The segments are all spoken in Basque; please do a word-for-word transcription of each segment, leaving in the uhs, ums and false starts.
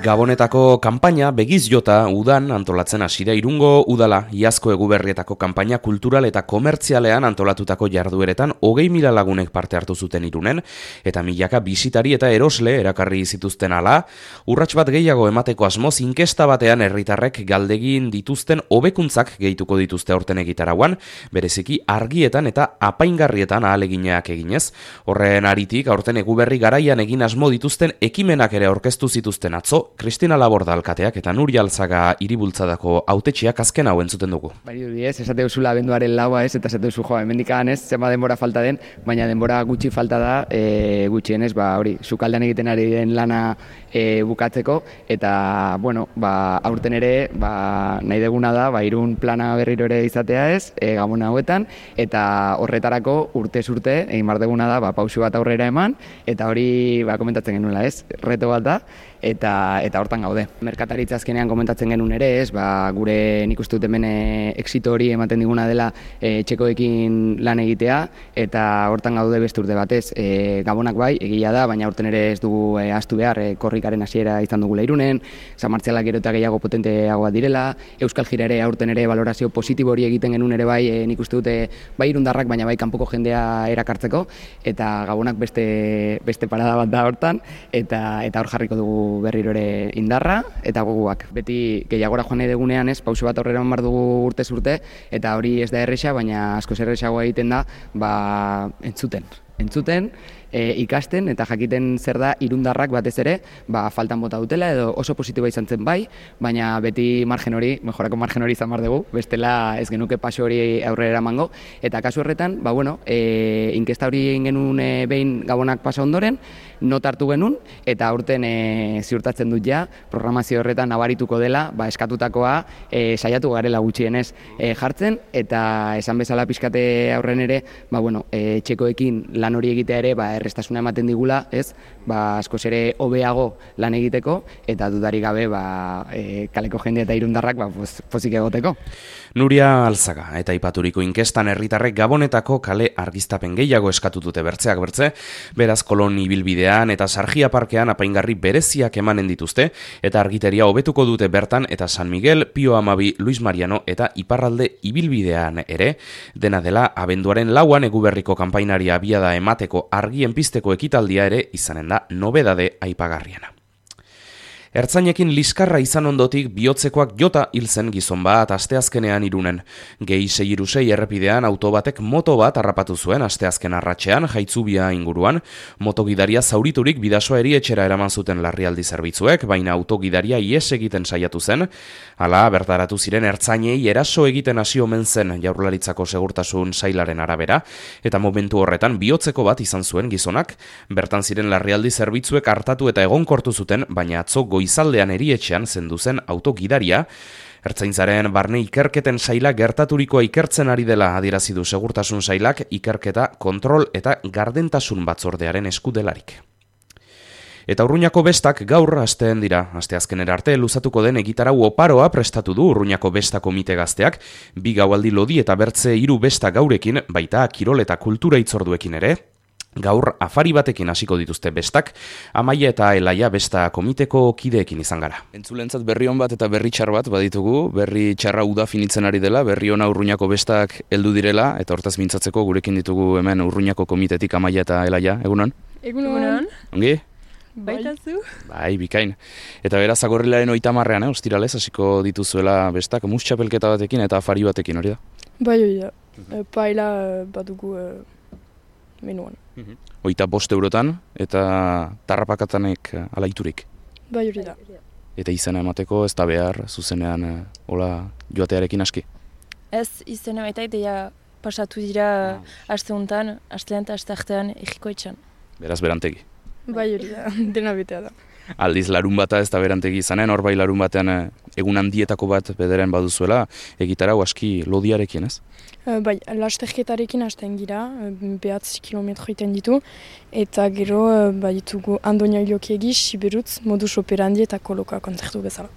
Gabonetako kanpaina begiz jota udan antolatzen hasi da Irungo udala. Iazko Eguberrietako kanpaina kultural eta komertzialean antolatutako jardueretan hogei mila lagunek parte hartu zuten Irunen, eta milaka bisitari eta erosle erakarri zituzten ala. Urrats bat gehiago emateko asmoz inkesta batean herritarrek galdegin dituzten hobekuntzak gehituko dituzte aurten egitarauan, bereziki argietan eta apaingarrietan ahaleginak eginez. Horren aritik aurten Eguberri garaian egin asmo dituzten ekimenak ere aurkeztu zituzten atzo, Cristina Laborda alkateak eta Nuria Alzaga hiribultzadako hautetsiak azken hau entzuten dugu. Bai, ez, esate duzula abenduaren laua ez, eta esate duzu joa, hemendikan ez, zema denbora falta den, baina denbora gutxi falta da, e, gutxienez, ba, hori, sukaldean egiten ari den lana e, bukatzeko, eta, bueno, ba, aurten ere, ba, nahi deguna da, ba, Irun plana berriro ere izatea ez, e, Gabon hauetan, eta horretarako urtez urte, egin bar deguna da, ba, pausu bat aurrera eman, eta hori, ba, komentatzen genuela ez, reto bat da, eta eta hortan gaude. Merkataritza azkenean komentatzen genuen ere, ez, ba, gure nik uste dut hemen exito hori ematen diguna dela e, txekoekin lan egitea, eta hortan gaude beste urte batez. E, Gabonak bai, egia da, baina aurten ere ez dugu e, ahaztu behar, e, korrikaren hasiera izan dugula Irunen, San Martzialak gero eta gehiago potenteagoa direla, Euskal Jira ere aurten ere valorazio positibo hori egiten genuen ere bai, e, nik uste dute bai irundarrak, baina bai kanpoko jendea erakartzeko, eta Gabonak beste, beste parada bat da hortan, eta, eta hor jarriko dugu berriro ere indarra eta goguak. Beti gehiagora joan nahi degunean ez, pauso bat aurrera eman behar dugu urtez urte, eta hori ez da erresa, baina askoz erresagoa egiten da, ba, entzuten. Entzuten, e, ikasten eta jakiten zer da irundarrak batez ere, ba, faltan bota dutela edo oso positiboa izan zen bai, baina beti margen hori, mejorako margen hori izan behar dugu, bestela ez genuke paso hori aurrera emango, eta kasu horretan, ba, bueno, e, inkesta hori egin genuen e, behin Gabonak pasa ondoren, not hartu genuen, eta aurten e, ziurtatzen dut ja, programazio horretan nabarituko dela, ba, eskatutakoa e, saiatu garela gutxienez e, jartzen, eta esan bezala pixkate aurren ere, ba, bueno, e, txekoekin lan hori egitea ere, ba, errestasuna ematen digula, ez, ba, askoz ere hobeago lan egiteko, eta dudarik gabe, ba, e, kaleko jende eta irundarrak, ba, pozik egoteko. Nuria Alzaga eta ipaturiko inkestan herritarrek Gabonetako kale argiztapen gehiago eskatu dute bertzeak bertze, beraz Kolon ibilbidean eta Sargia parkean apaingarri bereziak emanen dituzte, eta argiteria hobetuko dute bertan eta San Miguel, Pio Amabi, Luis Mariano eta Iparralde ibilbidean ere, dena dela abenduaren lauan Eguberriko kanpainaria abiada emateko argien pizteko ekitaldia ere izanen da nobedade aipagarriena. Ertzainekin liskarra izan ondotik bihotzekoak jota hil zen gizon bat asteazkenean Irunen. Gehi sei hiru sei errepidean auto batek moto bat harrapatu zuen asteazken arratsean Jaitzubia inguruan. Motogidaria zauriturik bidasoa erietxera eraman zuten larrialdi zerbitzuek, baina autogidaria ihes egiten saiatu zen. Hala, bertaratu ziren ertzainei eraso egiten hasi omen zen Jaurlaritzako segurtasun sailaren arabera, eta momentu horretan bihotzeko bat izan zuen gizonak. Bertan ziren larrialdi zerbitzuek hartatu eta egonkortu zuten, baina atzo goizaldean erietxean zendu zen autogidaria. Ertzaintzaren barne ikerketen saila gertaturikoa ikertzen ari dela adierazi du segurtasun sailak ikerketa, kontrol eta gardentasun batzordearen eskudelarik. Eta Urruñako bestak gaur hasteen dira. Asteazkenera arte luzatuko den egitarau oparoa prestatu du Urruñako besta komite gazteak, bi gaualdi lodi eta bertze hiru besta gaurekin, baita kirol eta kultura hitzorduekin ere. Gaur afari batekin hasiko dituzte bestak, Amaia eta Elaia besta komiteko kideekin izan gara. Entzulentzat berri on bat eta berri txar bat baditugu, berri txarra uda finitzen ari dela, berri ona Urruñako bestak heldu direla, eta hortaz mintzatzeko gurekin ditugu hemen Urruñako komitetik Amaia eta Elaia, egunon? Egunon. Ongi? Baitazu? Bai, bikain. Eta beraz, agorrilaren oita marrean, eh, ostiralez, hasiko dituzuela bestak, mus txapelketa batekin eta afari batekin, hori da? Bai, hori da. E, paila badugu e, menuan. Oita bost eurotan eta tarrapakatanek alaiturik. Bai, hori da. Eta izena emateko ez da behar, zuzenean e, hola joatearekin aski? Ez, izena eta ideia pasatu dira aste honetan, astean eta aste artean egiko etxan. Beraz berantegi. Bai, hori da, dena betea da. Aldiz larun bata ez da berantegi izanen, hor bai larun batean egun handietako bat bederen baduzuela, egitarau aski lodiarekin, ez? E, bai, lasterketarekin hasten gira, behatzi kilometro iten ditu, eta gero baditugu Andonia Iliokiegi, Siberutz, modus operandi eta koloka kontzertu bezala.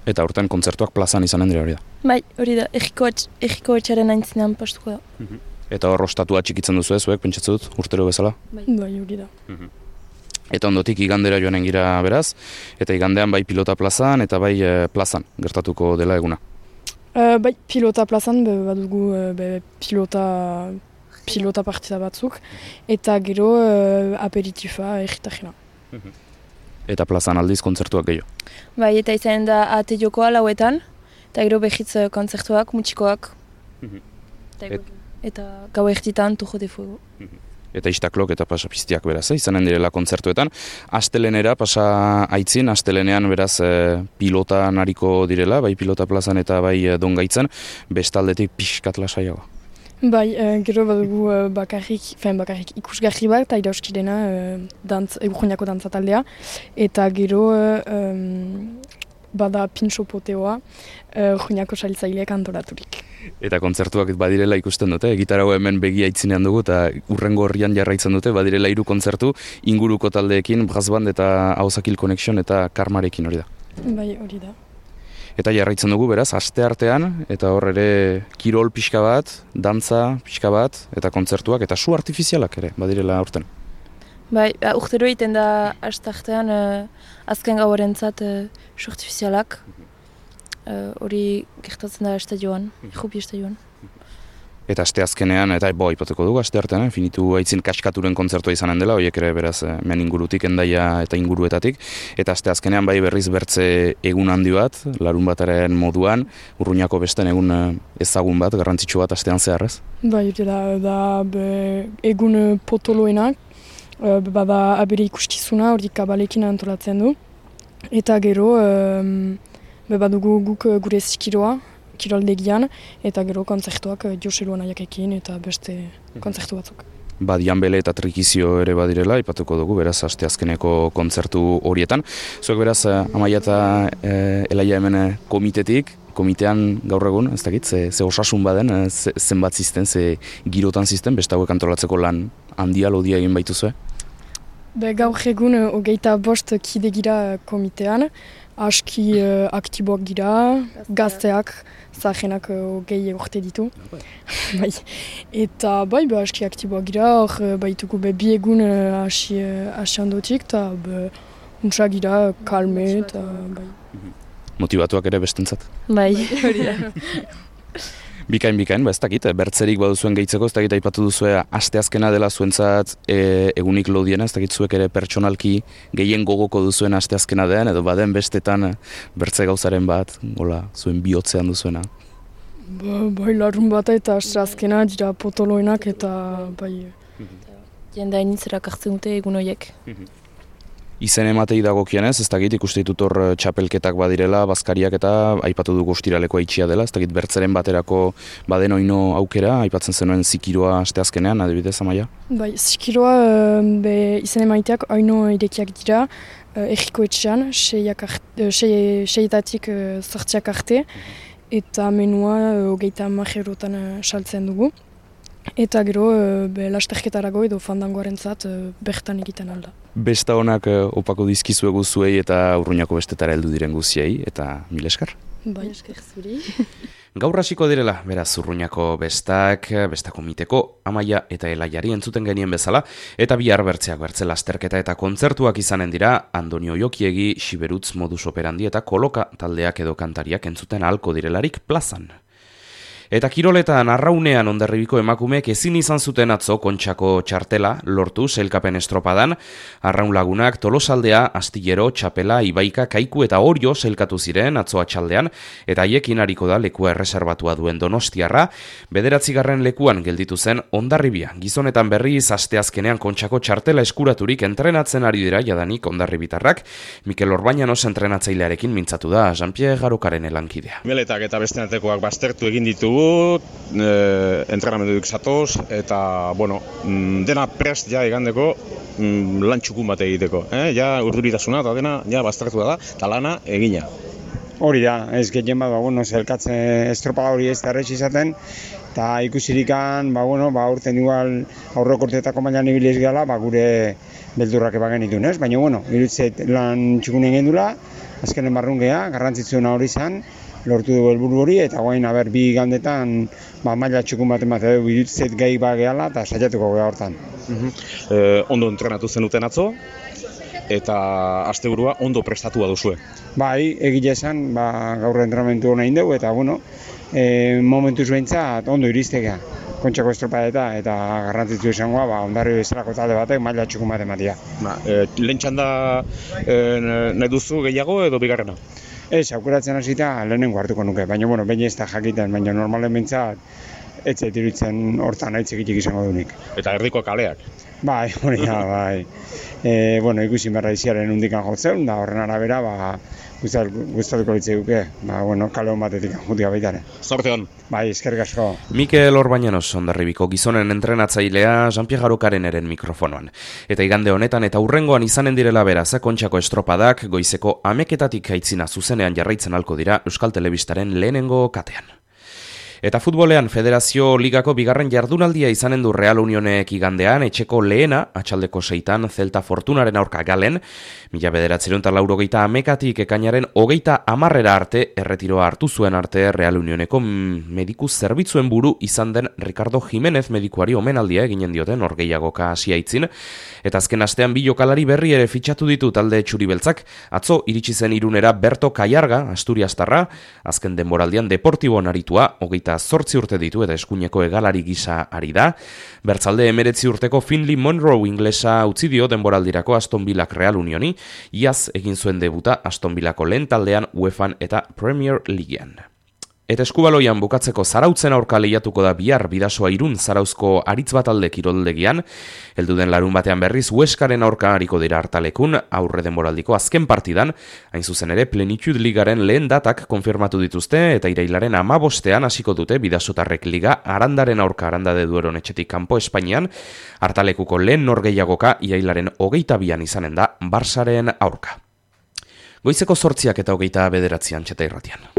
Eta horten kontzertuak plazan izanen dira hori da? Bai, hori da, erriko etxaren aintzinean postuko da. Eta hor ostatua txikitzen duzu ez, zuek, pentsatzen dut, urtero bezala? Bai, hori da. Eta ondotik igandera joanen gira beraz, eta igandean bai pilota plazan eta bai e, plazan gertatuko dela eguna. Uh, bai, pilota plazan, be, badugu uh, be, pilota, pilota partida batzuk, eta gero uh, aperitifa egitajena. Eta plazan aldiz kontzertuak gehiago. Bai, eta izanen da ate jokoa lauetan, eta gero behitz kontzertuak, mutxikoak. Eta, Et... eta gau erditan tujo de fuego. Eta istaklok eta pasapiztiak beraz, eh? Izanen direla kontzertuetan. Astelenera pasa aitzin, astelenean beraz eh, pilota nariko direla, bai pilota plazan eta bai eh, dongaitzen, bestaldetik pixkat lasaiago. Bai, uh, gero badugu uh, bakarrik, fen bakarrik ikusgarri bat, eta irauskidena uh, dantz, egurjoniako dantzataldea, eta gero uh, um, bada pintxo poteoa, uh, joniako saltzaileak antolaturik. Eta kontzertuak badirela ikusten dute, gitarra hemen begia aitzinean dugu eta urrengo horrian jarraitzen dute, badirela hiru kontzertu inguruko taldeekin, Brass Band eta Ahozakil Connection eta Karmarekin hori da. Bai, hori da. Eta jarraitzen dugu beraz, aste artean, eta hor ere kirol pixka bat, dantza pixka bat, eta kontzertuak, eta su artifizialak ere, badirela aurten. Bai, urtero egiten da aste artean uh, azken gauarentzat uh, su artifizialak. Hori uh, gertatzen da estadioan, jupi estadioan. Eta aste azkenean, eta bo, ipatuko dugu aste artean, eh? Finitu aitzin kaskaturen kontzertua izanen dela, horiek ere beraz men ingurutik, endaia eta inguruetatik. Eta aste azkenean bai berriz bertze egun handi bat, larun bataren moduan, Urruñako besten egun ezagun bat, garrantzitsu bat astean zehar, ez? Bai, da, da be, egun potoloenak, bada abere ikustizuna, hori kabalekin antolatzen du. Eta gero, um, be badugu guk gure zikiroa, kiroldegian, eta gero kontzertuak Joselu Anaiakekin eta beste kontzertu batzuk. Badian bele eta trikizio ere badirela, ipatuko dugu, beraz, aste azkeneko kontzertu horietan. Zuek beraz, Amaia eta e, Elaia hemen komitetik, komitean gaur egun, ez dakit, ze, ze osasun baden, ze, zenbat zizten, ze girotan zizten, beste hauek antolatzeko lan handia lodia egin baituzue? Be, gaur egun hogeita bost kide gira komitean, aski uh, aktiboak gira, gazteak, zahenak hogei urte ditu. Bai. Eta bai, be, aski aktiboak gira, hor baituko be, bi egun hasi uh, handotik, eta untsa gira kalme, eta bai. Motibatuak ere bestentzat? Bai, hori da. Bikain, bikain, ba ez dakit, bertzerik baduzuen gehitzeko, ez dakit aipatu duzue asteazkena dela zuentzat e, egunik lodiena, ez dakit zuek ere pertsonalki gehien gogoko duzuen asteazkena den, edo baden bestetan bertze gauzaren bat, gola, zuen bihotzean duzuena. Ba, bai, larun bata eta asteazkena dira potoloenak eta bai. Jenda initzera kartzen dute egun horiek. Izen ematei dagokienez, ez dakit ikuste ditut hor txapelketak badirela, bazkariak eta aipatu dugu ostiralekoa itxia dela, ez dakit bertzeren baterako baden oino aukera, aipatzen zenuen zikiroa asteazkenean, adibidez, Amaia? Bai, zikiroa be, izen emaiteak oino irekiak dira, erriko etxean, seietatik sortziak arte, eta menua hogeita majerotan saltzen dugu. Eta gero, be, lasterketarago edo fandangoarentzat bertan egiten alda. Besta honak opako dizkizuegu zuei eta Urruñako bestetara heldu diren guziei, eta mil esker? Bai, esker zuri. Gaur hasiko direla, beraz Urruñako bestak, besta komiteko, Amaia eta Elaiari entzuten genien bezala, eta bihar bertzeak bertze lasterketa eta kontzertuak izanen dira, Andonio Jokiegi, Xiberutz modus operandi eta koloka taldeak edo kantariak entzuten ahalko direlarik plazan. Eta kiroletan arraunean Hondarribiko emakumeek ezin izan zuten atzo Kontxako txartela lortu sailkapen estropadan, arraun lagunak Tolosaldea, Astillero, Txapela, Ibaika, Kaiku eta Orio sailkatu ziren atzo atxaldean, eta haiekin hariko da lekua erreserbatua duen Donostiarra, bederatzigarren lekuan gelditu zen Hondarribia. Gizonetan berriz asteazkenean Kontxako txartela eskuraturik entrenatzen ari dira jadanik hondarribitarrak, Mikel Orbañanos entrenatzailearekin mintzatu da Jean-Pierre Garokaren elankidea. Meletak eta beste artekoak baztertu egin ditugu, E, entrenamendudik zatoz, eta, bueno, dena prest ja igandeko lan txukun bat egiteko. Eh? Ja urduritasuna eta dena ja baztertu da, eta lana egina. Hori da, ez gehien bat, ba, bueno, zelkatze estropaga hori ez da errez izaten, eta ikusirikan, ba, bueno, ba, urten igual aurrekortetako mailan ibiliz gala, ba, gure beldurrak ebagen ditun, ez? Baina, bueno, irutzeit lan txukun egin dula, azkenen barrun geha, garrantzitsuena hori izan, lortu dugu helburu hori, eta guain aber bi igandetan ba, maila txukun bat ematen dugu irutzet gai ba gehala eta saiatuko geha hortan. E, ondo entrenatu zenuten atzo, eta asteburua ondo prestatua duzue. Bai, egile esan, ba, gaur entrenamentu hona indegu, eta bueno, e, momentuz behintzat ondo iriztegea. Kontxako estropadeta eta garrantzitsu izangoa, ba, ondarri bezalako talde batek maila txukun bat ematia. Ba, e, lehen txanda e, nahi duzu gehiago edo bigarrena? Ez, aukeratzen hasita lehenengo hartuko nuke, baina bueno, baina ez da jakiten, baina normalen behintzat ez zait iruditzen hortan aitzekitik izango dunik. Eta erdiko kaleak? Bai, hori da, bai. E, bueno, ikusi berra iziaren undikan jotzen, da horren arabera, ba, gustatuko litzei duke, ba, bueno, kale hon batetik jutia baitare. Zorte hon. Bai, eskerrik asko. Mikel Orbañanos Hondarribiko gizonen entrenatzailea Jean-Pierre Garokareneren mikrofonoan. Eta igande honetan eta hurrengoan izanen direla beraz, Kontxako estropadak goizeko ameketatik aitzina zuzenean jarraitzen halko dira Euskal Telebistaren lehenengo katean. Eta futbolean Federazio Ligako bigarren jardunaldia izanen du Real Unionek igandean, etxeko lehena, atxaldeko seitan, Celta Fortunaren aurka galen, mila bederatziehun eta laurogeita amekatik ekainaren hogeita hamarrera arte, erretiroa hartu zuen arte Real Unioneko mediku zerbitzuen buru izan den Ricardo Jimenez medikuari omenaldia eginen dioten orgeiagoka hasiaitzin, eta azken astean bi jokalari berri ere fitxatu ditu talde txuri-beltzak, atzo iritsi zen Irunera Berto Kaiarga, Asturiastarra, azken denboraldian Deportibon aritua, hogeita zortzi urte ditu eta eskuineko egalari gisa ari da. Bertzalde emeretzi urteko Finley Monroe inglesa utzi dio denboraldirako Aston Villak Real Unioni, iaz egin zuen debuta Aston Villako lehen taldean UEFAn eta Premier Leaguean. Eta eskubaloian bukatzeko Zarautzen aurka lehiatuko da bihar Bidasoa Irun Zarauzko aritz bat alde kiroldegian, heldu den larun batean berriz Hueskaren aurka hariko dira hartalekun, aurre denboraldiko azken partidan, hain zuzen ere Plenitude Ligaren lehen datak konfirmatu dituzte eta irailaren hamabostean hasiko dute Bidasotarrek Liga Arandaren aurka Aranda de Dueron etxetik kanpo Espainian, hartalekuko lehen norgehiagoka irailaren hogeita bian izanen da Barsaren aurka. Goizeko zortziak eta hogeita bederatzian txeta irratian.